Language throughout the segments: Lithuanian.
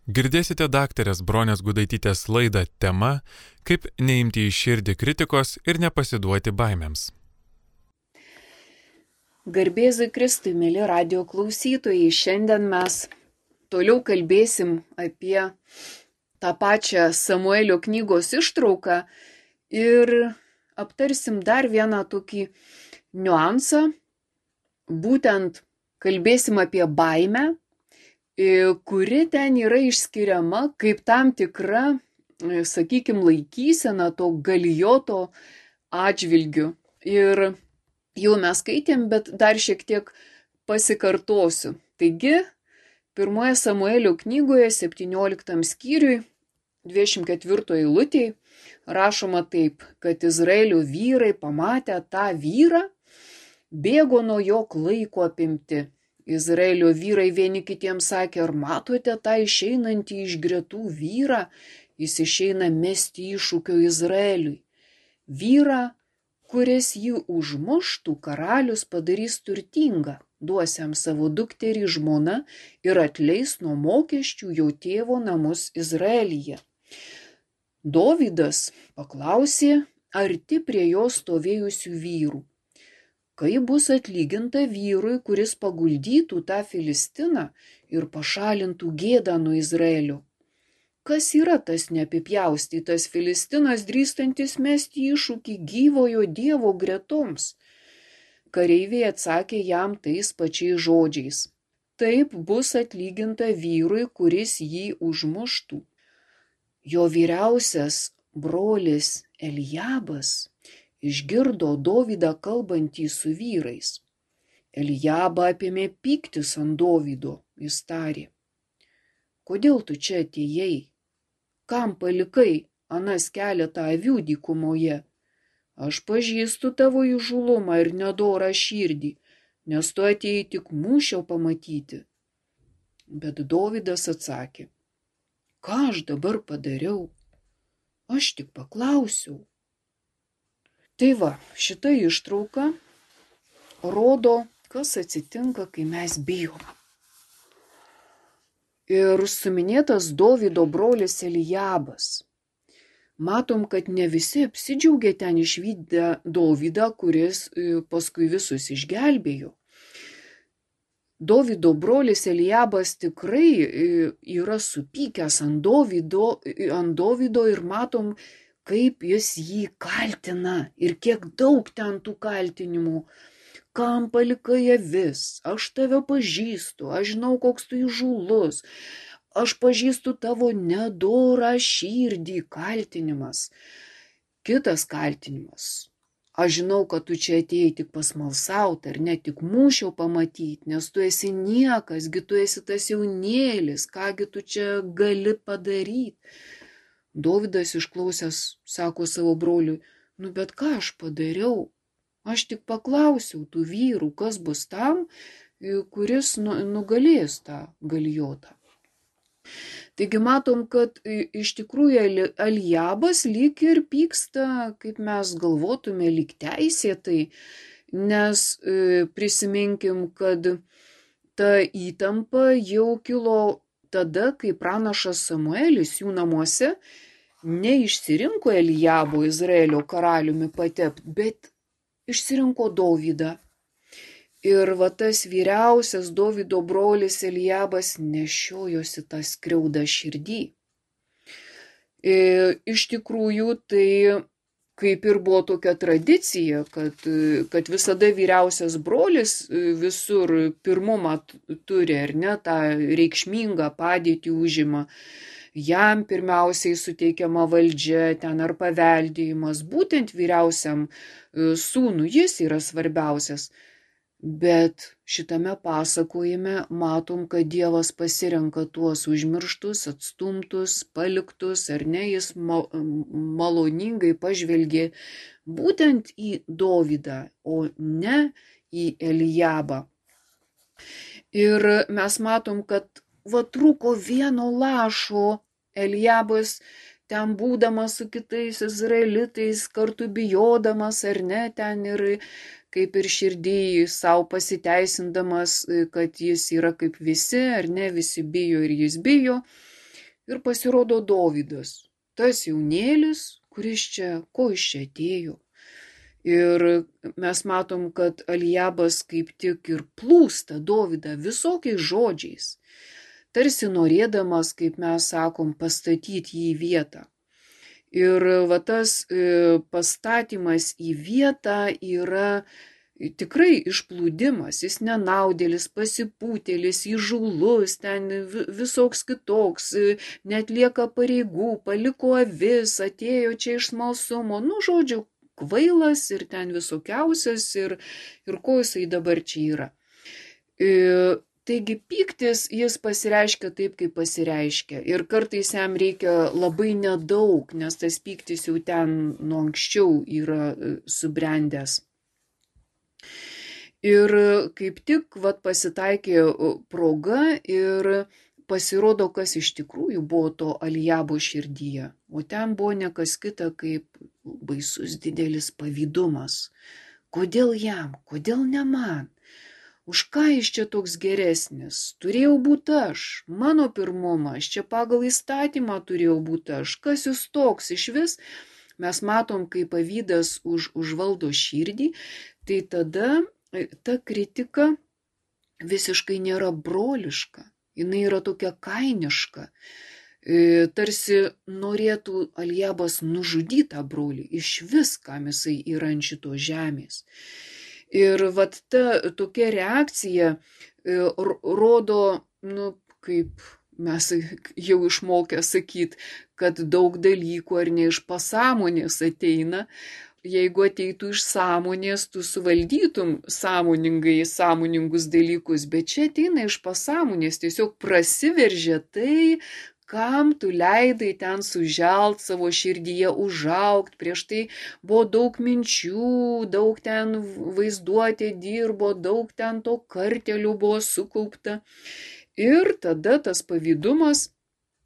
Girdėsite daktarės Bronės Gudaitytės laidą tema Kaip neimti į širdį kritikos ir nepasiduoti baimėms. Garbėzui Kristui, mėly radio klausytojai, šiandien mes toliau kalbėsim apie tą pačią Samuelio knygos ištrauką ir aptarsim dar vieną tokį niuansą, būtent kalbėsim apie baimę, kuri ten yra išskiriama kaip tam tikra, sakykime, laikysena to Galijoto atžvilgiu. Ir jau mes skaitėm, bet dar šiek tiek pasikartosiu. Taigi, 1 Samuelio knygoje 17 skyriui 24 eilutėje rašoma taip, kad Izraelio vyrai pamatę tą vyrą, bėgo nuo jo klaiko apimti. Izraelio vyrai vieni kitiems sakė, ar matote tą išeinantį iš gretų vyrą, jis išeina mesti iššūkio Izraeliui. Vyrą, kuris jį užmuštų, karalius padarys turtingą, duos jam savo dukterį žmoną ir atleis nuo mokesčių jo tėvo namus Izraelyje. Dovydas paklausė arti prie jo stovėjusių vyrų. Kaip bus atlyginta vyrui, kuris paguldytų tą Filistiną ir pašalintų gėdą nuo Izraelio? Kas yra tas neapipjaustytas Filistinas, drįstantis mesti iššūkį gyvojo Dievo gretoms? Kareiviai atsakė jam tais pačiais žodžiais. Taip bus atlyginta vyrui, kuris jį užmuštų. Jo vyriausias brolis Eliabas išgirdo Dovydą kalbantį su vyrais. Eliabą apėmė pyktis ant Dovydo, jis tarė. Kodėl tu čia atėjai? Kam palikai anas keletą avių dykumoje? Aš pažįstu tavo įžūlumą ir nedorą širdį, nes tu atėjai tik mūšio pamatyti. Bet Dovydas atsakė, ką aš dabar padariau? Aš tik paklausiau. Tai va, šita ištrauka rodo, kas atsitinka, kai mes bijom. Ir suminėtas Dovydo brolis Eliabas. Matom, kad ne visi apsidžiaugė ten išvydę Dovydą, kuris paskui visus išgelbėjo. Dovydo brolis Eliabas tikrai yra supykęs ant Dovydo ir matom, kaip jis jį kaltina ir kiek daug ten tų kaltinimų. Kam palikai avis? Aš tave pažįstu, aš žinau, koks tu įžūlus, aš pažįstu tavo nedorą širdį, kaltinimas. Kitas kaltinimas. Aš žinau, kad tu čia atėjai tik pasmalsauti ar ne tik mūšio pamatyti, nes tu esi niekas, tu esi tas jaunėlis, kągi tu čia gali padaryti. Dovydas išklausęs sako savo broliui, bet ką aš padariau? Aš tik paklausiau tų vyrų, kas bus tam, kuris nugalės tą Galijotą. Taigi matom, kad iš tikrųjų Eliabas lyg ir pyksta, kaip mes galvotume, lyg teisėtai, nes prisiminkim, kad ta įtampa jau kilo tada, kai pranašas Samuelis jų namuose neišsirinko Eliabo Izraelio karaliumi patept, bet išsirinko Dovydą. Ir va tas vyriausias Dovydo brolis Eliabas nešiojosi tą skriaudą širdį. Iš tikrųjų, tai kaip ir buvo tokia tradicija, kad visada vyriausias brolis visur pirmumą turi, ar ne, tą reikšmingą padėtį užima. Jam pirmiausiai suteikiama valdžia, ten ar paveldėjimas, būtent vyriausiam sūnui jis yra svarbiausias. Bet šitame pasakojime matom, kad Dievas pasirenka tuos užmirštus, atstumtus, paliktus, ar ne, jis maloningai pažvelgė būtent į Dovydą, o ne į Eliabą. Ir mes matom, kad trūko vieno lašo. Eliabas ten būdamas su kitais izraelitais, kartu bijodamas ar ne, ten ir kaip ir širdį savo pasiteisindamas, kad jis yra kaip visi, ar ne, visi bijo ir jis bijo. Ir pasirodo Dovydas, tas jaunėlis, ko iš čia atėjo. Ir mes matom, kad Eliabas kaip tik ir plūsta Dovydą visokiais žodžiais, tarsi norėdamas, kaip mes sakom, pastatyti jį į vietą. Ir va tas pastatymas į vietą yra tikrai išplūdimas, jis nenaudėlis, pasipūtėlis, įžūlus, ten visoks kitoks, netlieka pareigų, paliko avis, atėjo čia iš smalsumo, žodžiu, kvailas ir ten visokiausias ir ko jisai dabar čia yra. Taigi pyktis jis pasireiškia taip, kaip pasireiškia. Ir kartais jam reikia labai nedaug, nes tas pyktis jau ten nuo anksčiau yra subrendęs. Ir kaip tik pasitaikė proga ir pasirodo, kas iš tikrųjų buvo to Eliabo širdyje. O ten buvo ne kas kita kaip baisus didelis pavydumas. Kodėl jam? Kodėl ne man? Už ką jis čia toks geresnis? Turėjau būti aš, mano pirmumas, čia pagal įstatymą turėjau būti aš. Kas jūs toks iš vis? Mes matom, kai pavydas užvaldo širdį, tai tada ta kritika visiškai nėra broliška, jinai yra tokia kainiška. Tarsi norėtų Eliabas nužudyti tą brolį, iš vis, kam jisai yra ant šito žemės. Ir ta tokia reakcija rodo, kaip mes jau išmokę sakyti, kad daug dalykų ar ne iš pasąmonės ateina. Jeigu ateitų iš sąmonės, tu suvaldytum sąmoningus dalykus, bet čia ateina iš pasąmonės, tiesiog prasiveržia tai, kam tu leidai ten suželt savo širdyje, užaugt, prieš tai buvo daug minčių, daug ten vaizduotė dirbo, daug ten to kartelių buvo sukaupta. Ir tada tas pavydumas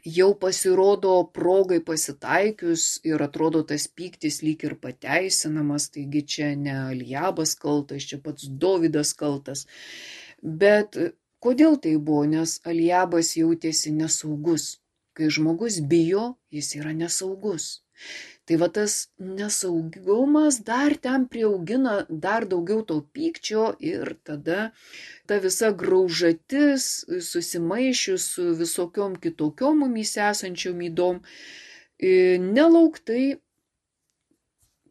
jau pasirodo progai pasitaikius ir atrodo tas pyktis lyg ir pateisinamas, taigi čia ne Eliabas kaltas, čia pats Dovydas kaltas. Bet kodėl tai buvo? Nes Eliabas jautėsi nesaugus. Kai žmogus bijo, jis yra nesaugus. Tai tas nesaugumas dar ten prieaugina dar daugiau to pykčio ir tada ta visa graužatis susimaišius su visokiom kitokiom mumyse esančiom ydom nelauktai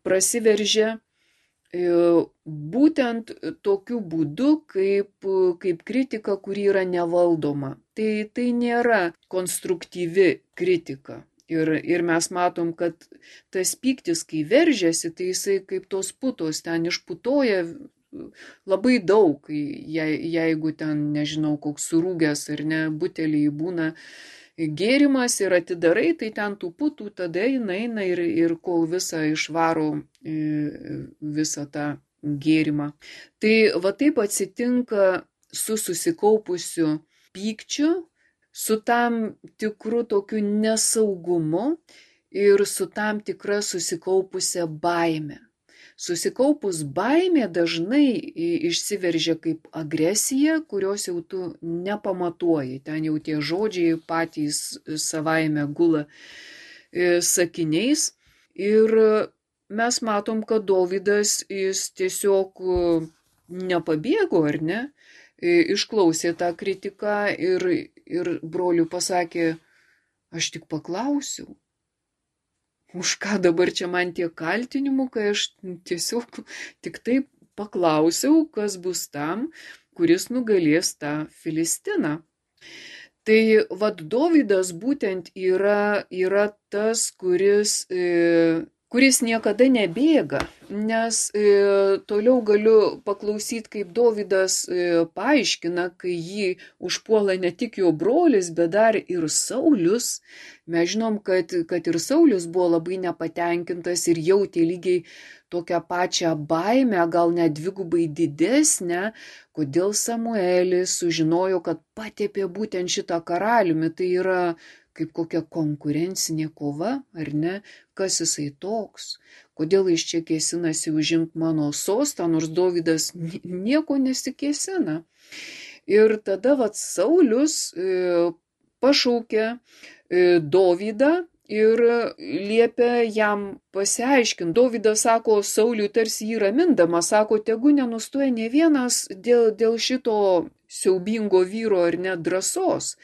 prasiveržia būtent tokiu būdu, kaip kritika, kuri yra nevaldoma. Tai nėra konstruktyvi kritika. Ir mes matom, kad tas pyktis, kai veržiasi, tai jisai kaip tos putos ten išputoja labai daug, jeigu ten, nežinau, koks surūgęs ar ne, buteliai būna gėrimas ir atidarai, tai ten tų putų tada eina ir kol visą išvaro visą tą gėrimą. Tai taip atsitinka su susikaupusiu pykčiu, su tam tikru tokiu nesaugumu ir su tam tikra susikaupusia baime. Susikaupus baimė dažnai išsiveržia kaip agresija, kurios jau tu nepamatuoji. Ten jau tie žodžiai patys savaime gula sakiniais. Ir mes matom, kad Dovydas jis tiesiog nepabėgo, ar ne? Išklausė tą kritiką ir broliui pasakė, aš tik paklausiau. Už ką dabar čia man tie kaltinimų, kai aš tiesiog tik taip paklausiau, kas bus tam, kuris nugalės tą Filistiną. Tai Dovydas būtent yra tas, kuris niekada nebėga, nes toliau galiu paklausyti, kaip Dovydas paaiškina, kai jį užpuola ne tik jo brolis, bet dar ir Saulius. Mes žinom, kad ir Saulius buvo labai nepatenkintas ir jautė lygiai tokią pačią baimę, gal net dvigubai didesnę, kodėl Samuelis sužinojo, kad patepė būtent šitą karaliumi. Tai yra kaip kokia konkurencinė kova, ar ne? Kas jisai toks? Kodėl jis čia kėsinasi užimti mano sostą, nors Dovydas nieko nesikėsina. Ir tada Saulius pašaukė Dovydą ir liepia jam pasiaiškinti. Dovydas sako Sauliui tarsi jį ramindama, sako, tegu nenustoja ne vienas dėl šito siaubingo vyro ar net drąsos.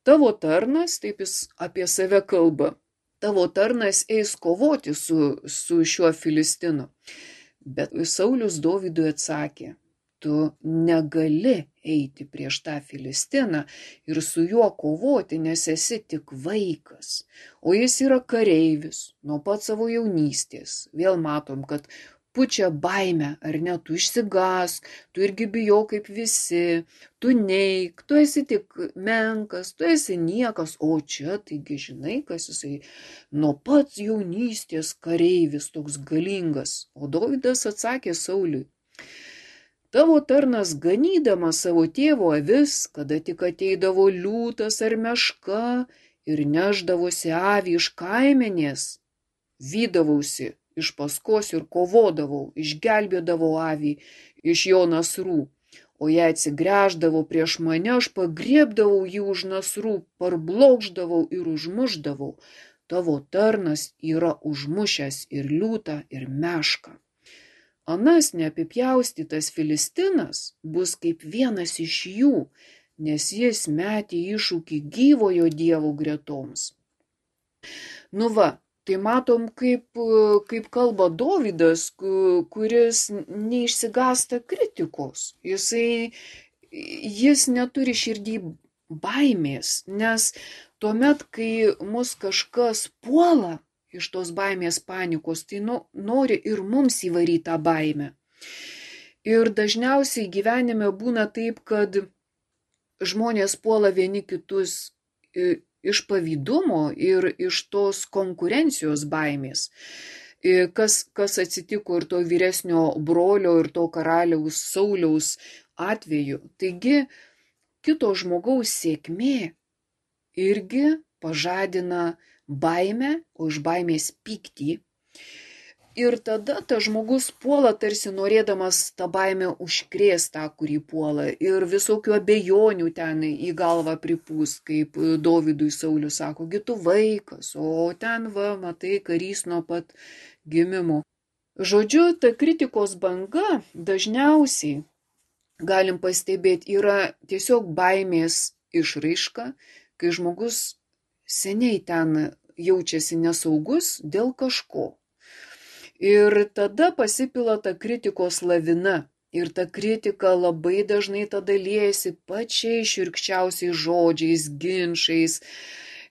Tavo tarnas, taip jis apie save kalba, tavo tarnas eis kovoti su šiuo Filistinu. Bet Saulius Dovydui atsakė, tu negali eiti prieš tą Filistiną ir su juo kovoti, nes esi tik vaikas, o jis yra kareivis nuo pat savo jaunystės. Vėl matom, kad pučia baimę, ar ne, tu išsigąsk, tu irgi bijau kaip visi, tu neik, tu esi tik menkas, tu esi niekas, o čia, taigi žinai, kas jisai nuo pat jaunystės kareivis toks galingas. O Dovydas atsakė Sauliui, tavo tarnas ganydamas savo tėvo avis, kada tik ateidavo liūtas ar meška ir neždavosi avį iš kaimenės, vydavausi iš paskos ir kovodavau, išgelbėdavau avį iš jo nasrų, o jei atsigręždavau prieš mane, aš pagriebdavau jį už nasrų, parblokšdavau ir užmušdavau. Tavo tarnas yra užmušęs ir liūtą, ir mešką. Anas neapipjaustytas Filistinas bus kaip vienas iš jų, nes jis metė iššūkį gyvojo Dievo gretoms. Nu va, tai matom, kaip kalba Dovydas, kuris neišsigąsta kritikos. Jis neturi širdį baimės, nes tuomet, kai mus kažkas puola iš tos baimės panikos, tai nori ir mums įvaryti tą baimę. Ir dažniausiai gyvenime būna taip, kad žmonės puola vieni kitus iš pavydumo ir iš tos konkurencijos baimės. Kas atsitiko ir to vyresnio brolio ir to karaliaus Sauliaus atveju. Taigi, kito žmogaus sėkmė irgi pažadina baimę, o iš baimės pyktį. Ir tada tas žmogus puola tarsi norėdamas tą baimę užkrėsti tą, kurį puola. Ir visokių abejonių ten į galvą pripūs, kaip Dovydui Saulius sako, gi tu vaikas, o ten va, matai, karys nuo pat gimimo. Žodžiu, ta kritikos banga dažniausiai, galim pastebėti, yra tiesiog baimės išraiška, kai žmogus seniai ten jaučiasi nesaugus dėl kažko. Ir tada pasipila ta kritikos lavina. Ir ta kritika labai dažnai tada liejasi pačiais šiurkščiausiais žodžiais, ginčais.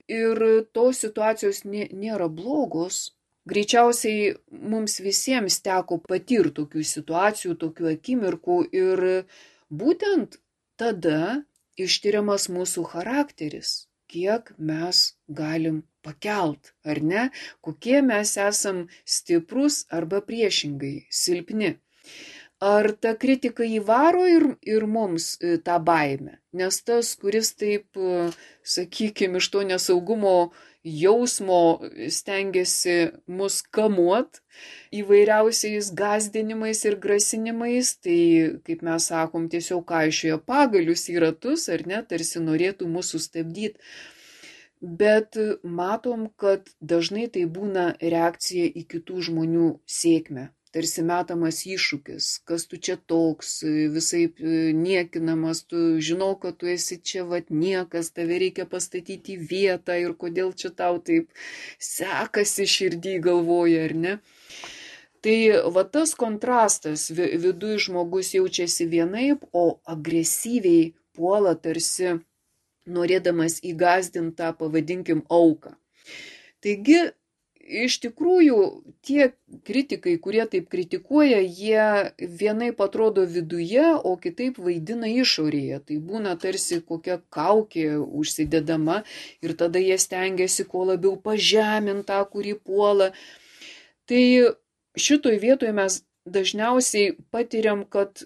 Ir tos situacijos nėra blogos. Greičiausiai mums visiems teko patirti tokių situacijų, tokių akimirkų. Ir būtent tada ištiriamas mūsų charakteris. Kiek mes galim pakelt, ar ne? Kokie mes esam stiprus arba priešingai silpni. Ar ta kritika įvaro ir mums tą baimę? Nes tas, kuris taip, sakykime, iš to nesaugumo jausmo stengiasi mus kamuot įvairiausiais gąsdinimais ir grasinimais, tai, kaip mes sakom, tiesiog kaišioja pagalius į ratus, ar ne, tarsi norėtų mus sustabdyti. Bet matom, kad dažnai tai būna reakcija į kitų žmonių sėkmę. Tarsi metamas iššūkis, kas tu čia toks, visaip niekinamas, tu žinau, kad tu esi čia niekas, tave reikia pastatyti į vietą ir kodėl čia tau taip sekasi širdį galvoja, ar ne? Tai tas kontrastas, viduj žmogus jaučiasi vienaip, o agresyviai puola tarsi norėdamas įgąsdintą, pavadinkim, auką. Taigi, iš tikrųjų, tie kritikai, kurie taip kritikuoja, jie vienaip atrodo viduje, o kitaip vaidina išorėje. Tai būna tarsi kokia kaukė užsidedama ir tada jie stengiasi kuo labiau pažeminti tą, kurį puola. Tai šitoj vietoje mes dažniausiai patiriam, kad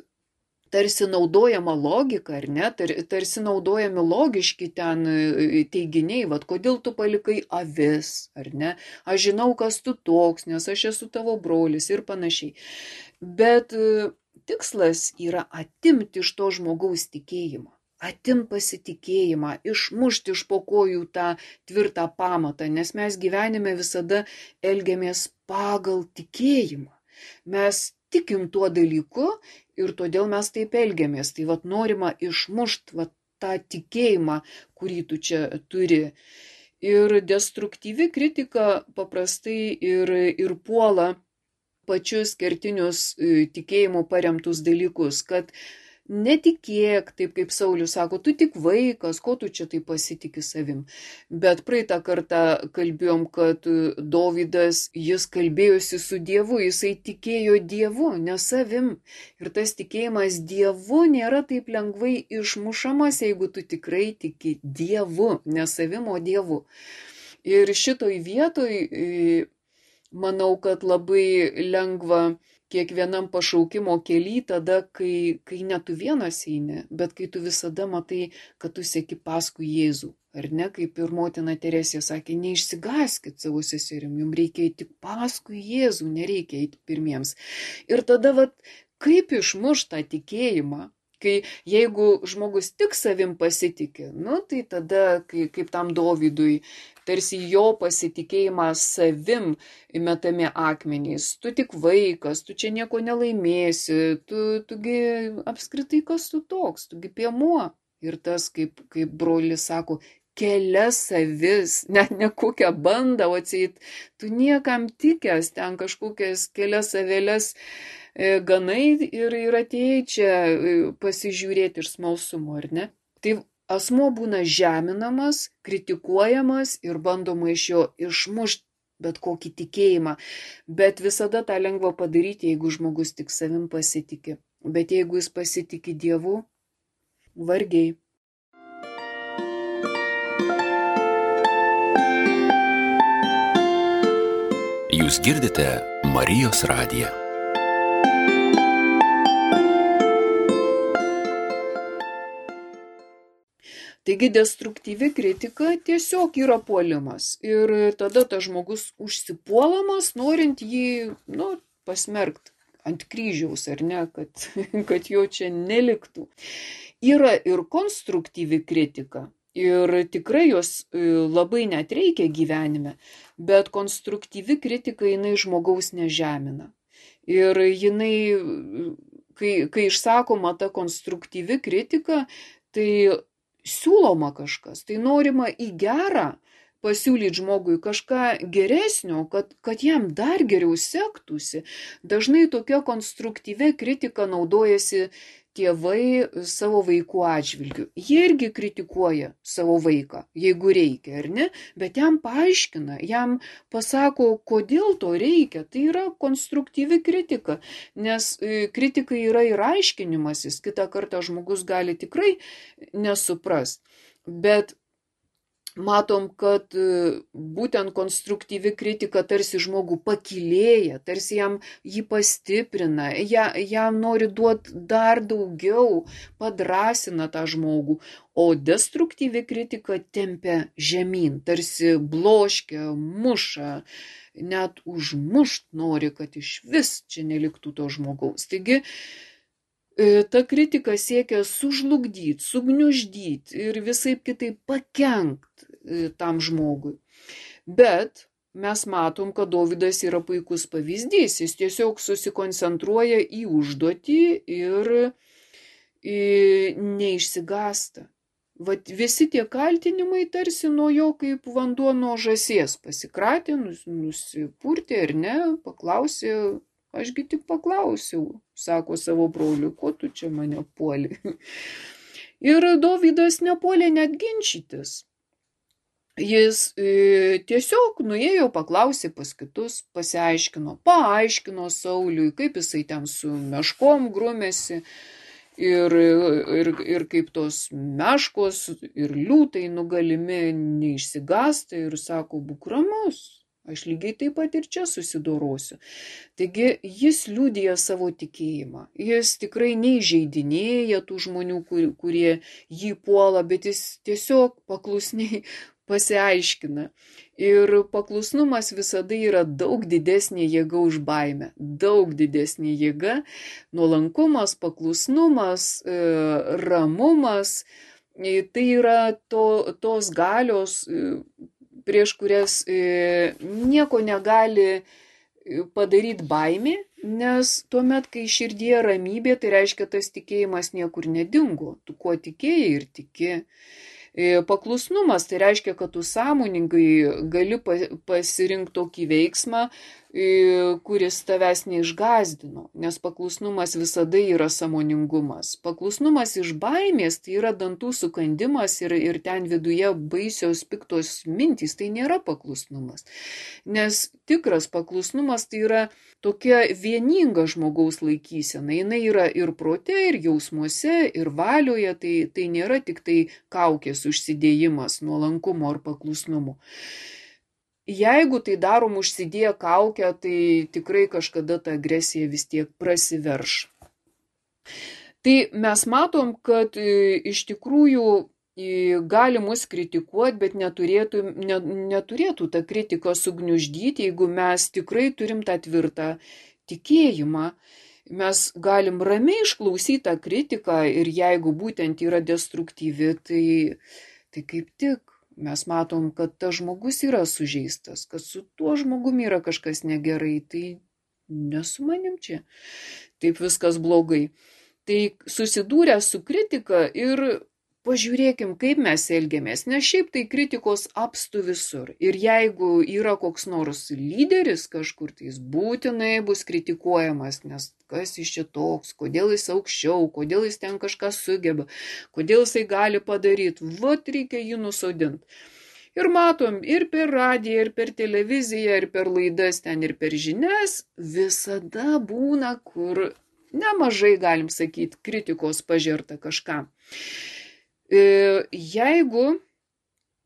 tarsi naudojama logika, ar ne, tarsi naudojami logiški ten teiginiai, kodėl tu palikai avis, ar ne, aš žinau, kas tu toks, nes aš esu tavo brolis ir panašiai. Bet tikslas yra atimti iš to žmogaus tikėjimą, atim pasitikėjimą, išmušti iš po kojų tą tvirtą pamatą, nes mes gyvenime visada elgiamės pagal tikėjimą. Mes tikim tuo dalyku ir todėl mes taip elgiamės. Tai norima išmušti tą tikėjimą, kurį tu čia turi. Ir destruktyvi kritika paprastai ir puola pačius kertinius tikėjimų paremtus dalykus, kad netikėk, taip kaip Saulius sako, tu tik vaikas, ko tu čia taip pasitiki savim. Bet praeitą kartą kalbėjom, kad Dovydas, jis kalbėjosi su Dievu, jisai tikėjo Dievu, ne savim. Ir tas tikėjimas Dievu nėra taip lengvai išmušamas, jeigu tu tikrai tiki Dievu, ne savim, o Dievu. Ir šitoj vietoj, manau, kad labai lengva kiekvienam pašaukimo kely tada, kai ne tu vienas eini, bet kai tu visada matai, kad tu seki paskui Jėzų. Ar ne, kaip ir motina Teresė sakė, neišsigąskit savo seserim, jums reikia eiti paskui Jėzų, nereikia eiti pirmiems. Ir tada, kaip išmušt tą tikėjimą? Jeigu žmogus tik savim pasitikė, tai tada, kaip tam Dovydui, tarsi jo pasitikėjimą savim metami akmenys. Tu tik vaikas, tu čia nieko nelaimėsi, tugi apskritai kas tu toks, tugi piemuo. Ir tas, kaip brolis sako, kelias avis, net ne kokią bandą, o atseit, tu niekam tikęs, ten kažkokias kelias avelės ganai ir atėjai čia pasižiūrėti iš smalsumo, ar ne? Tai asmuo būna žeminamas, kritikuojamas ir bandoma iš jo išmušti bet kokį tikėjimą. Bet visada tą lengva padaryti, jeigu žmogus tik savim pasitikė. Bet jeigu jis pasitikė Dievu, vargiai. Jūs girdite Marijos radiją. Taigi destruktyvi kritika tiesiog yra puolimas. Ir tada tas žmogus užsipuolamas, norint jį pasmerkti ant kryžiaus, ar ne, kad jo čia neliktų. Yra ir konstruktyvi kritika. Ir tikrai jos labai net reikia gyvenime, bet konstruktyvi kritika jinai žmogaus nežemina. Ir jinai, kai išsakoma ta konstruktyvi kritika, tai siūloma kažkas, tai norima į gerą pasiūlyti žmogui kažką geresnio, kad jam dar geriau sektųsi. Dažnai tokia konstruktyvia kritika naudojasi tėvai savo vaikų atžvilgiu. Jie irgi kritikuoja savo vaiką, jeigu reikia, ar ne? Bet jam paaiškina, jam pasako, kodėl to reikia. Tai yra konstruktyvi kritika, nes kritika yra ir aiškinimasis. Kitą kartą žmogus gali tikrai nesuprast. Bet matom, kad būtent konstruktyvi kritika tarsi žmogų pakylėja, tarsi jam jį pastiprina, jam nori duoti dar daugiau, padrąsina tą žmogų, o destruktyvi kritika tempia žemyn, tarsi bloškia, muša, net užmušt nori, kad iš vis čia neliktų to žmogaus. Taigi, ta kritika siekia sužlugdyti, sugniuždyti ir visaip kitaip pakenkt tam žmogui. Bet mes matom, kad Dovydas yra puikus pavyzdys. Jis tiesiog susikoncentruoja į užduotį ir neišsigąsta. Visi tie kaltinimai tarsi nuo jo kaip vanduo nuo žąsies pasikratė, nusipurtė ar ne, paklausė. Ašgi tik paklausiau, sako savo broliui, ko tu čia mane puoli. Ir Dovydas nepuolė net ginčytis. Jis tiesiog nuėjo, paklausė pas kitus, paaiškino Sauliui, kaip jisai ten su meškom grumėsi ir kaip tos meškos ir liūtai nugalimi neišsigąsta ir sako, būk ramus. Aš lygiai taip pat ir čia susidorosiu. Taigi jis liudija savo tikėjimą. Jis tikrai neįžeidinėja tų žmonių, kurie jį puola, bet jis tiesiog paklusniai pasiaiškina. Ir paklusnumas visada yra daug didesnė jėga už baimę. Daug didesnė jėga, nuolankumas, paklusnumas, ramumas. Tai yra tos galios, prieš kurias nieko negali padaryti baimė, nes tuomet, kai širdyje ramybė, tai reiškia, tas tikėjimas niekur nedingo. Tu kuo tikėjai ir tiki. Paklusnumas tai reiškia, kad tu sąmoningai gali pasirinkti tokį veiksmą, kuris tavęs neišgąsdino, nes paklusnumas visada yra sąmoningumas. Paklusnumas iš baimės tai yra dantų sukandimas ir ten viduje baisios piktos mintys, tai nėra paklusnumas. Nes tikras paklusnumas tai yra tokia vieninga žmogaus laikysena. Jinai yra ir prote, ir jausmuose, ir valioje, tai nėra tik tai kaukės užsidėjimas nuolankumo ar paklusnumo. Jeigu tai darom užsidėję kaukę, tai tikrai kažkada ta agresija vis tiek prasiverš. Tai mes matom, kad iš tikrųjų gali mus kritikuoti, bet neturėtų ta kritika sugniuždyti, jeigu mes tikrai turim tą tvirtą tikėjimą. Mes galim ramiai išklausyti tą kritiką ir jeigu būtent yra destruktyvi, tai kaip tik mes matom, kad tas žmogus yra sužeistas, kad su tuo žmogumi yra kažkas negerai, tai ne su manim čia. Taip viskas blogai. Tai susidūrę su kritika ir pažiūrėkim, kaip mes elgiamės, nes šiaip tai kritikos apstu visur. Ir jeigu yra koks nors lyderis kažkur, tai jis būtinai bus kritikuojamas, nes kas iš čia toks, kodėl jis aukščiau, kodėl jis ten kažką sugeba, kodėl jisai gali padaryti, vat reikia jį nusodinti. Ir matom, ir per radiją, ir per televiziją, ir per laidas ten, ir per žinias, visada būna, kur nemažai, galim sakyti, kritikos pažerta kažkam. Jeigu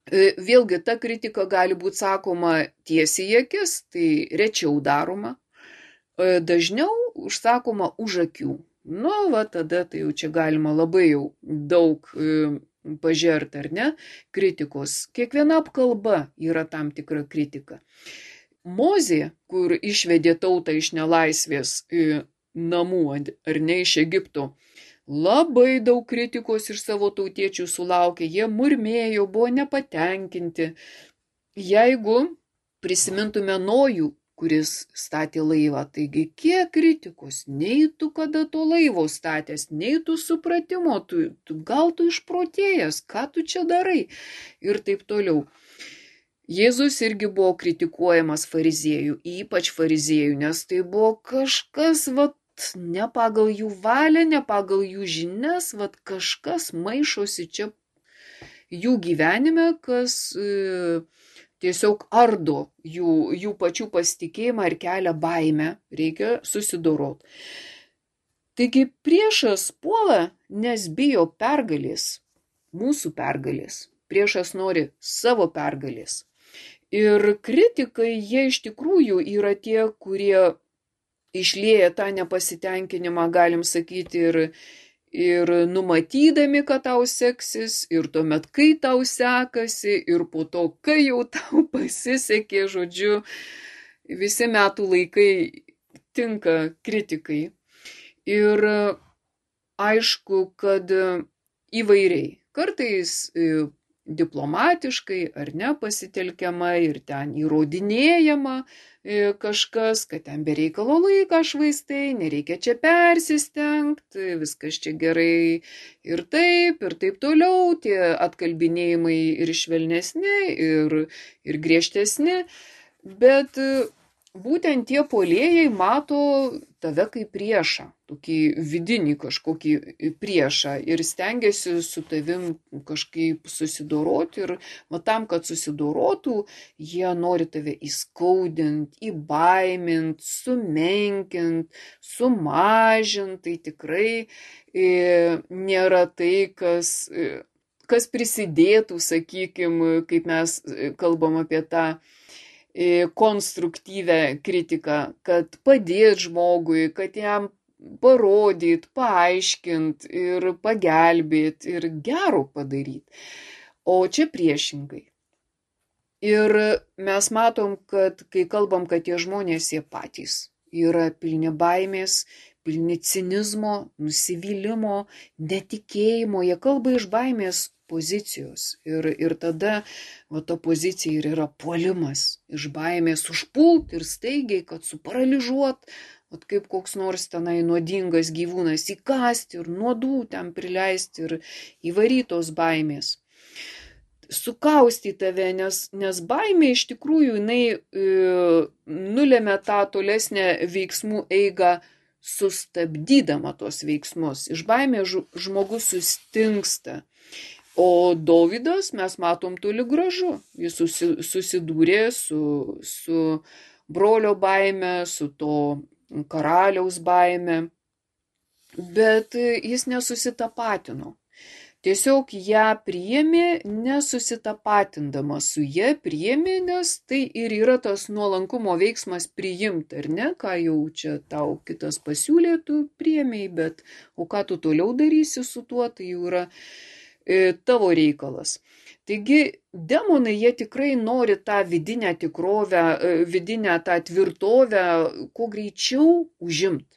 vėlgi ta kritika gali būti sakoma tiesiai į akis, tai rečiau daroma, dažniau užsakoma už akių. Tada tai jau čia galima labai jau daug pažerti, ar ne, kritikos. Kiekviena apkalba yra tam tikra kritika. Mozė, kur išvedė tautą iš nelaisvės namų, ar ne, iš Egipto, labai daug kritikos iš savo tautiečių sulaukė, jie murmėjo, buvo nepatenkinti. Jeigu prisimintume Nojų, kuris statė laivą, taigi kiek kritikos, nei tu kada to laivo statęs, nei tu supratimo, gal tu išprotėjęs, ką tu čia darai ir taip toliau. Jėzus irgi buvo kritikuojamas fariziejų, ypač fariziejų, nes tai buvo kažkas, ne pagal jų valią, ne pagal jų žinias, kažkas maišosi čia jų gyvenime, kas tiesiog ardo jų pačių pasitikėjimą ir kelia baimę, reikia susidoroti. Taigi priešas puola, nes bijo pergalės, mūsų pergalės. Priešas nori savo pergalės. Ir kritikai, jie iš tikrųjų yra tie, kurie išlieja tą nepasitenkinimą, galim sakyti, ir numatydami, kad tau seksis, ir tuomet, kai tau sekasi, ir po to, kai jau tau pasisekė, žodžiu, visi metų laikai tinka kritikai. Ir aišku, kad įvairiai, kartais diplomatiškai ar ne pasitelkiama ir ten įrodinėjama kažkas, kad ten be reikalo laiką švaistai, nereikia čia persistengti, viskas čia gerai ir taip toliau, tie atkalbinėjimai ir švelnesni, ir griežtesni, bet būtent tie puolėjai mato tave kaip priešą, tokį vidinį kažkokį priešą ir stengiasi su tavim kažkaip susidoroti ir tam, kad susidorotų, jie nori tave įskaudinti, įbaiminti, sumenkinti, sumažinti, tai tikrai nėra tai, kas prisidėtų, sakykime, kaip mes kalbam apie tą konstruktyvę kritiką, kad padėt žmogui, kad jam parodyt, paaiškint ir pagelbėt ir gero padaryt. O čia priešingai. Ir mes matom, kad kai kalbam, kad tie žmonės jie patys yra pilni baimės, pilni cinizmo, nusivylimo, netikėjimo, jie kalba iš baimės pozicijos. Ir tada ta pozicija ir yra puolimas, iš baimės užpult ir staigiai, kad suparalyžuot, kaip koks nors tenai nuodingas gyvūnas įkasti ir nuodų ten prileisti ir įvarytos baimės. Sukausti tave, nes baimė iš tikrųjų jinai nulėmė tą tolesnę veiksmų eigą, sustabdydama tos veiksmus. Iš baimės žmogus sustingsta. O Dovydas, mes matom, toli gražu. Jis susidūrė su brolio baime, su to karaliaus baime, bet jis nesusitapatino. Tiesiog ją priėmė, nesusitapatindamas su ja priėmė, nes tai ir yra tas nuolankumo veiksmas priimt, ar ne, ką jau čia tau kitas pasiūlė, tu priėmėjai, bet o ką tu toliau darysi su tuo, tai jau yra tavo reikalas. Taigi demonai, jie tikrai nori tą vidinę tikrovę, vidinę tą tvirtovę, kuo greičiau užimt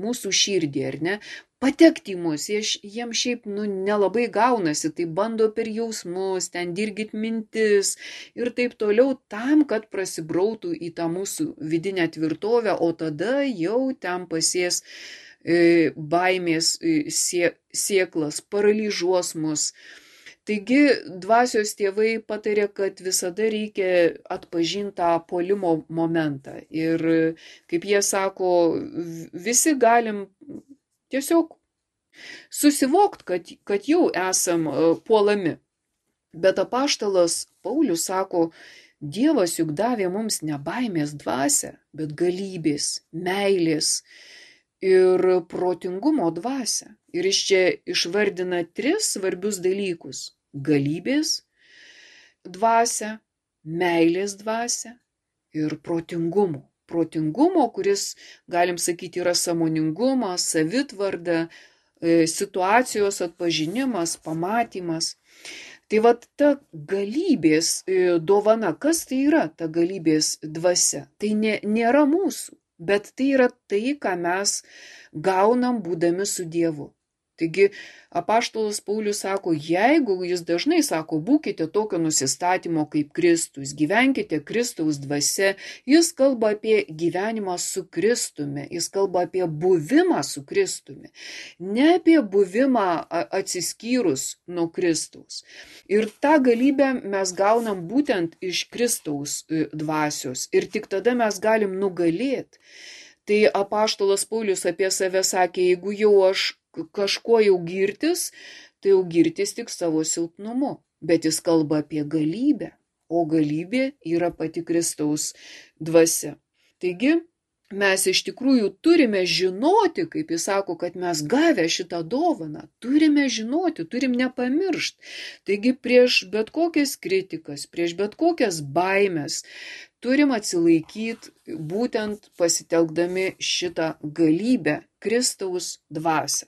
mūsų širdį, ar ne? Patekti į mus, jiems šiaip nelabai gaunasi, tai bando per jausmus, ten dirgit mintis ir taip toliau, tam, kad prasibrautų į tą mūsų vidinę tvirtovę, o tada jau ten pasės baimės sėklas, paralyžuos mus. Taigi dvasios tėvai patarė, kad visada reikia atpažinti tą puolimo momentą. Ir kaip jie sako, visi galim tiesiog susivokti, kad jau esam puolami. Bet apaštalas Paulius sako, Dievas juk davė mums ne baimės dvasią, bet galybės, meilės ir protingumo dvasią. Ir jis čia išvardina 3 svarbius dalykus. Galybės dvasią, meilės dvasią ir protingumo. Protingumo, kuris, galim sakyti, yra sąmoningumas, savitvarda, situacijos atpažinimas, pamatymas. Tai vat ta galybės dovana, kas tai yra ta galybės dvasia? Tai nėra mūsų. Bet tai yra tai, ką mes gaunam būdami su Dievu. Taigi apaštalas Paulius sako, jeigu jis dažnai sako, būkite tokio nusistatymo kaip Kristus, gyvenkite Kristaus dvasia, jis kalba apie gyvenimą su Kristumi, jis kalba apie buvimą su Kristumi, ne apie buvimą atsiskyrus nuo Kristaus. Ir tą galybę mes gaunam būtent iš Kristaus dvasios ir tik tada mes galim nugalėti. Tai apaštalas Paulius apie save sakė, jeigu jau aš kažkuo jau girtis, tai jau girtis tik savo silpnumu. Bet jis kalba apie galybę, o galybė yra pati Kristaus dvasia. Taigi mes iš tikrųjų turime žinoti, kaip jis sako, kad mes gavę šitą dovaną, turime žinoti, turim nepamiršti. Taigi prieš bet kokias kritikas, prieš bet kokias baimės, turim atsilaikyti būtent pasitelkdami šitą galybę, Kristaus dvasią.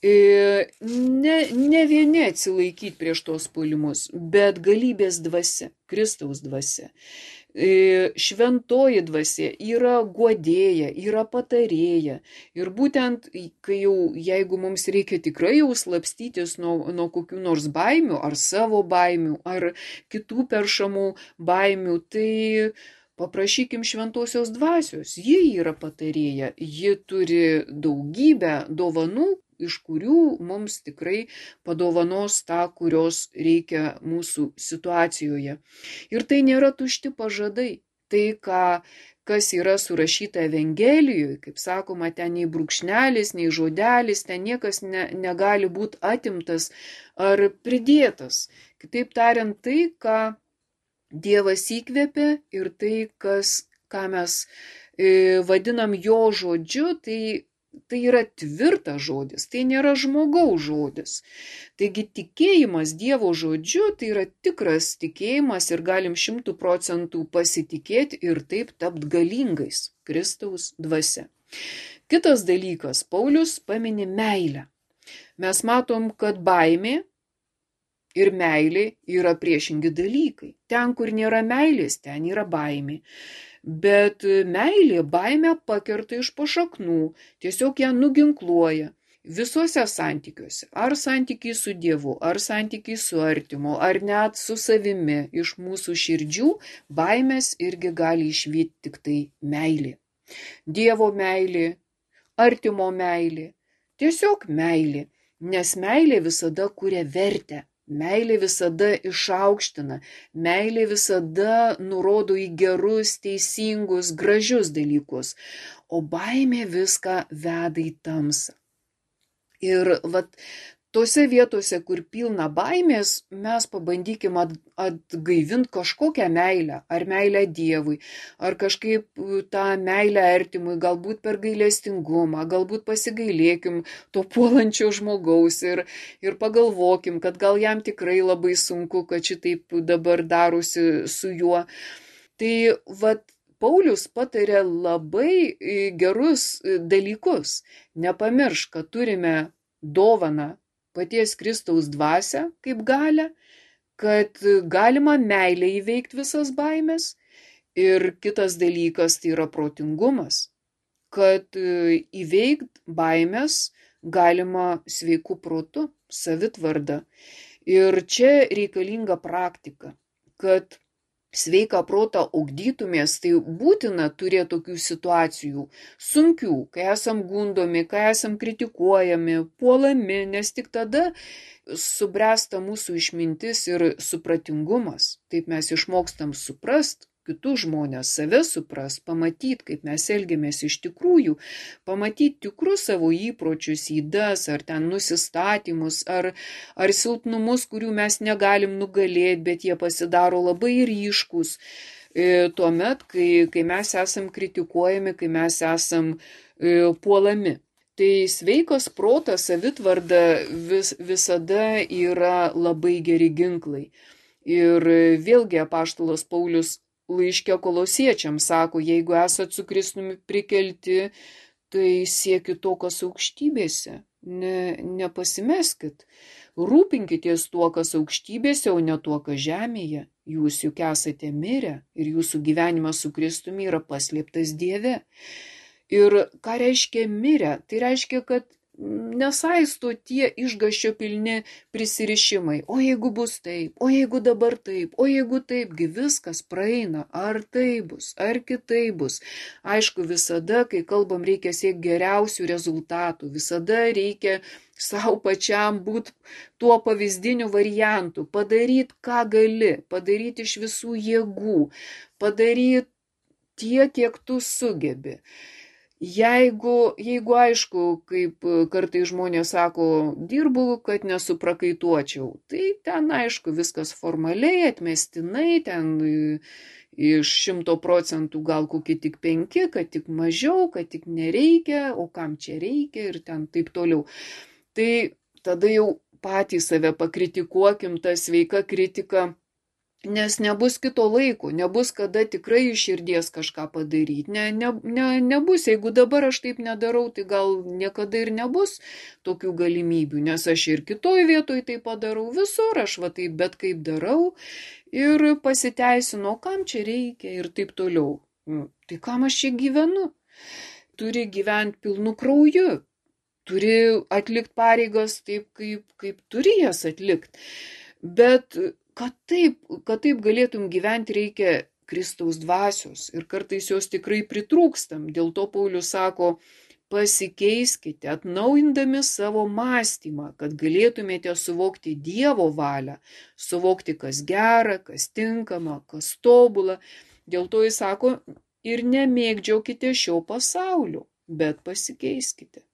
Ne vieni atsilaikyti prieš tos puolimus, bet galybės dvasia, Kristaus dvasia. Šventoji dvasia yra guodėja, yra patarėja. Ir būtent, jeigu mums reikia tikrai jau slapstytis nuo kokių nors baimių, ar savo baimių, ar kitų peršamų baimių, tai paprašykim šventosios dvasios. Ji yra patarėja, ji turi daugybę dovanų, iš kurių mums tikrai padovanos tą, kurios reikia mūsų situacijoje. Ir tai nėra tušti pažadai. Tai, kas yra surašyta Evangelijoje, kaip sakoma, ten nei brūkšnelis, nei žodelis, ten niekas negali būti atimtas ar pridėtas. Kitaip tariant, tai, ką Dievas įkvėpė ir tai, ką mes vadinam jo žodžiu, tai yra tvirtas žodis, tai nėra žmogaus žodis. Taigi tikėjimas Dievo žodžiu, tai yra tikras tikėjimas ir galim 100% pasitikėti ir taip tapti galingais Kristaus dvasia. Kitas dalykas, Paulius pamini meilę. Mes matom, kad baimė ir meilė yra priešingi dalykai. Ten, kur nėra meilės, ten yra baimė. Bet meilė baimę pakerta iš pašaknų, tiesiog ją nuginkluoja. Visuose santykiuose, ar santykiai su Dievu, ar santykiai su artimu, ar net su savimi, iš mūsų širdžių baimės irgi gali išvyti tik tai meilė. Dievo meilė, artimo meilė, tiesiog meilė, nes meilė visada kuria vertę. Meilė visada išaukština, meilė visada nurodo į gerus, teisingus, gražius dalykus, o baimė viską veda į tamsą. Ir tose vietose, kur pilna baimės, mes pabandykim atgaivinti kažkokią meilę, ar meilę Dievui, ar kažkaip tą meilę artimui, galbūt per gailestingumą, galbūt pasigailėkim to puolančio žmogaus ir pagalvokim, kad gal jam tikrai labai sunku, kad šitaip dabar darosi su juo. Tai Paulius patarė labai gerus dalykus. Nepamiršk, kad turime dovaną paties Kristaus dvasią kaip galią, kad galima meilė įveikti visas baimės. Ir kitas dalykas tai yra protingumas, kad įveikti baimės galima sveiku protu, savitvarda. Ir čia reikalinga praktika, kad sveiką protą ugdytumės, tai būtina turėti tokių situacijų, sunkių, kai esam gundomi, kai esam kritikuojami, puolami, nes tik tada subręsta mūsų išmintis ir supratingumas. Taip mes išmokstam suprast kitus žmonės, save suprast, pamatyti, kaip mes elgiamės iš tikrųjų, pamatyti tikrus savo įpročius, ydas, ar ten nusistatymus, ar silpnumus, kurių mes negalim nugalėti, bet jie pasidaro labai ryškus. Tuomet, kai mes esam kritikuojami, kai mes esam puolami. Tai sveikas protas, savitvarda visada yra labai geri ginklai. Ir vėlgi apaštalas Paulius laiške Kolosiečiams sako, jeigu esat su Kristumi prikelti, tai siekit to, kas aukštybėse, nepasimeskit. Rūpinkitės tuo, kas aukštybėse, o ne tuo, kas žemėje. Jūs juk esate mirę ir jūsų gyvenimas su Kristumi yra paslėptas Dieve. Ir ką reiškia mirę? Tai reiškia, kad nesaisto tie išgąsčio pilni prisirišimai. O jeigu bus taip, o jeigu dabar taip, o jeigu taipgi viskas praeina, ar tai bus, ar kitai bus. Aišku, visada, kai kalbam, reikia siekti geriausių rezultatų, visada reikia savo pačiam būti tuo pavyzdiniu variantu, padaryti, ką gali, padaryti iš visų jėgų, padaryti tiek, kiek tu sugebi. Jeigu aišku, kaip kartai žmonės sako, dirbu, kad nesuprakaituočiau, tai ten aišku viskas formaliai, atmestinai, ten iš 100% gal kokie tik 5, kad tik mažiau, kad tik nereikia, o kam čia reikia ir ten taip toliau. Tai tada jau patys save pakritikuokim, ta sveika kritika. Nes nebus kito laiko, nebus kada tikrai iš širdies kažką padaryti. Nebus, jeigu dabar aš taip nedarau, tai gal niekada ir nebus tokių galimybių, nes aš ir kitoj vietoj tai padarau, visur aš taip bet kaip darau ir pasiteisinu, kam čia reikia ir taip toliau. Tai kam aš čia gyvenu? Turi gyventi pilnu krauju, turi atlikti pareigas taip, kaip turi jas atlikti. Bet kad taip galėtum gyventi, reikia Kristaus dvasios ir kartais jos tikrai pritrūkstam. Dėl to Paulius sako, pasikeiskite, atnaujindami savo mąstymą, kad galėtumėte suvokti Dievo valią, suvokti, kas gera, kas tinkama, kas tobula. Dėl to jis sako, ir nemėgdžiaukite šio pasaulio, bet pasikeiskite.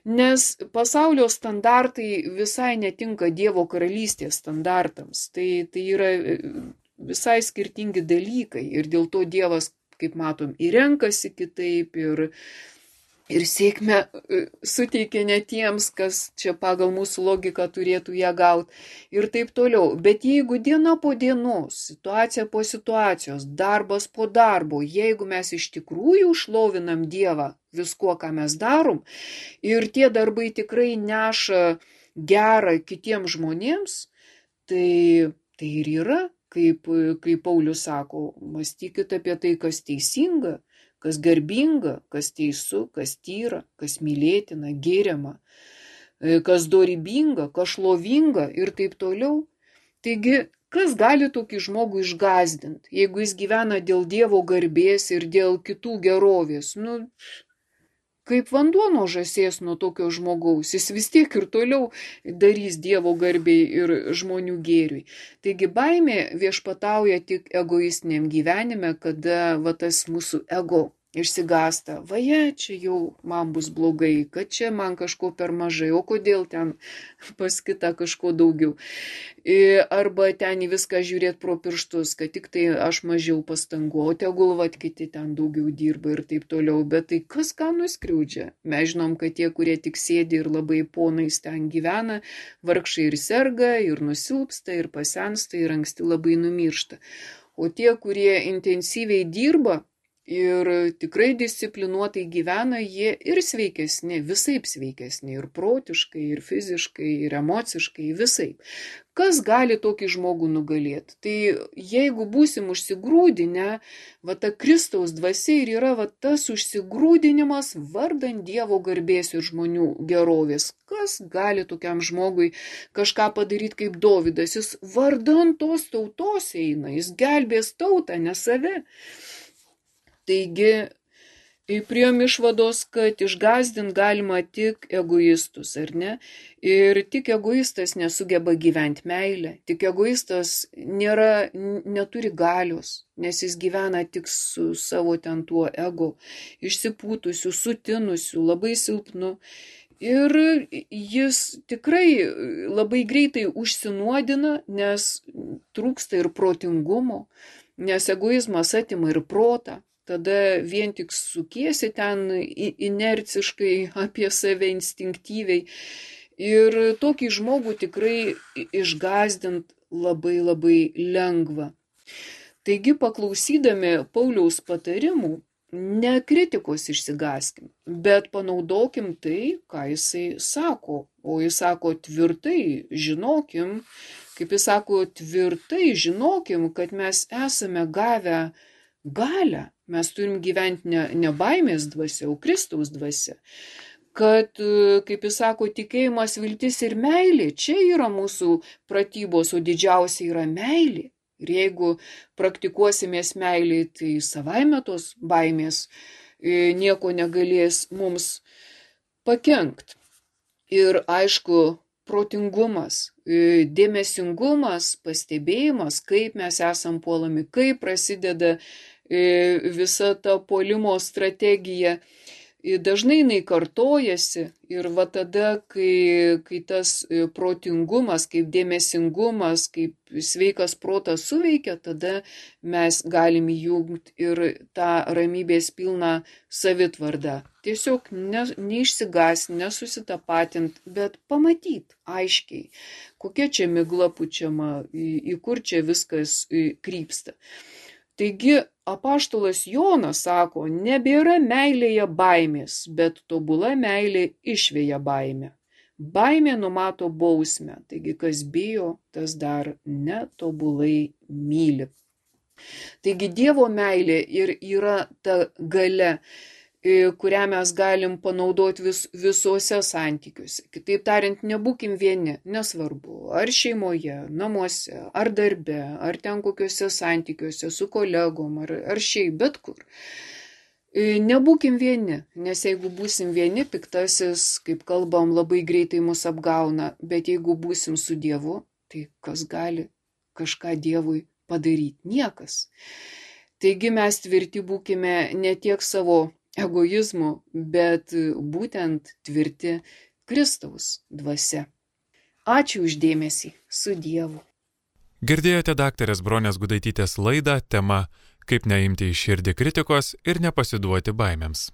Nes pasaulio standartai visai netinka Dievo karalystės standartams. Tai yra visai skirtingi dalykai ir dėl to Dievas, kaip matom, ir renkasi kitaip ir sėkmę suteikia ne tiems, kas čia pagal mūsų logiką turėtų ją gauti ir taip toliau. Bet jeigu diena po dienos, situacija po situacijos, darbas po darbo, jeigu mes iš tikrųjų šlovinam Dievą viskuo, ką mes darom, ir tie darbai tikrai neša gerą kitiems žmonėms, tai ir yra, kaip Paulius sako, mąstykit apie tai, kas teisinga, kas garbinga, kas teisu, kas tyra, kas mylėtina, geriama, kas dorybinga, kas šlovinga ir taip toliau. Taigi, kas gali tokį žmogų išgąsdinti, jeigu jis gyvena dėl Dievo garbės ir dėl kitų gerovės? Kaip vanduo nuo žąsies nuo tokio žmogaus, jis vis tiek ir toliau darys Dievo garbei ir žmonių gėriui. Taigi baimė viešpatauja tik egoistiniam gyvenime, kada tas mūsų ego išsigąsta. Vaje, čia jau man bus blogai, kad čia man kažko per mažai, o kodėl ten pas kitą kažko daugiau. Arba ten į viską žiūrėti pro pirštus, kad tik tai aš mažiau pastangų, o tegul kiti ten daugiau dirba ir taip toliau. Bet tai kas ką nuskriaudžia? Mes žinom, kad tie, kurie tik sėdi ir labai ponais ten gyvena, vargšai ir serga, ir nusilpsta, ir pasensta, ir anksti labai numiršta. O tie, kurie intensyviai dirba, ir tikrai disciplinuotai gyvena, jie ir sveikesni, visaip sveikesni, ir protiškai, ir fiziškai, ir emociškai, visaip. Kas gali tokį žmogų nugalėti? Tai jeigu būsim užsigrūdinę, ta Kristaus dvasia ir yra tas užsigrūdinimas vardan Dievo garbės ir žmonių gerovės. Kas gali tokiam žmogui kažką padaryti kaip Dovydas? Jis vardan tos tautos eina, jis gelbės tautą, ne save. Taigi, priėjom išvados, kad išgąsdinti galima tik egoistus, ar ne? Ir tik egoistas nesugeba gyventi meilę, tik egoistas neturi galios, nes jis gyvena tik su savo ten tuo ego, išsipūtusiu, sutinusiu, labai silpnu. Ir jis tikrai labai greitai užsinuodina, nes trūksta ir protingumo, nes egoizmas atima ir protą. Tada vien tik sukiesi ten inerciškai apie save instinktyviai. Ir tokį žmogų tikrai išgąsdint labai labai lengva. Taigi, paklausydami Pauliaus patarimų, ne kritikos išsigąskim, bet panaudokim tai, ką jisai sako. O jis sako tvirtai, žinokim, kaip jis sako, tvirtai žinokim, kad mes esame gavę galią. Mes turim gyventi ne baimės dvasia, o Kristaus dvasia. Kad, kaip jis sako, tikėjimas, viltis ir meilė, čia yra mūsų pratybos, o didžiausia yra meilė. Ir jeigu praktikuosimės meilį, tai savaime tos baimės nieko negalės mums pakenkt. Ir aišku, protingumas, dėmesingumas, pastebėjimas, kaip mes esam puolami, kaip prasideda visa ta puolimo strategija. Dažnai jinai kartojasi ir tada, kai tas protingumas, kaip dėmesingumas, kaip sveikas protas suveikia, tada mes galim įjungti ir tą ramybės pilną savitvardą. Tiesiog neišsigąs, nesusitapatint, bet pamatyt aiškiai, kokia čia migla pučiama, į kur čia viskas krypsta. Taigi apaštalas Jonas sako, nebėra meilėje baimės, bet tobula meilė išveja baimę. Baimė numato bausmę, taigi kas bijo, tas dar netobulai myli. Taigi Dievo meilė ir yra ta galia, kurią mes galim panaudoti visuose santykiuose. Kitaip tariant, nebūkim vieni, nesvarbu, ar šeimoje, namuose, ar darbe, ar ten kokiuose santykiuose su kolegom, ar šiaip, bet kur. Nebūkim vieni, nes jeigu būsim vieni, piktasis, kaip kalbam, labai greitai mus apgauna, bet jeigu būsim su Dievu, tai kas gali kažką Dievui padaryti? Niekas. Taigi mes tvirti būkime ne tiek savo egoizmu, bet būtent tvirti Kristaus dvasia. Ačiū už dėmesį. Su Dievu. Girdėjote daktarės Bronės Gudaitytės laidą tema Kaip neimti į širdį kritikos ir nepasiduoti baimėms.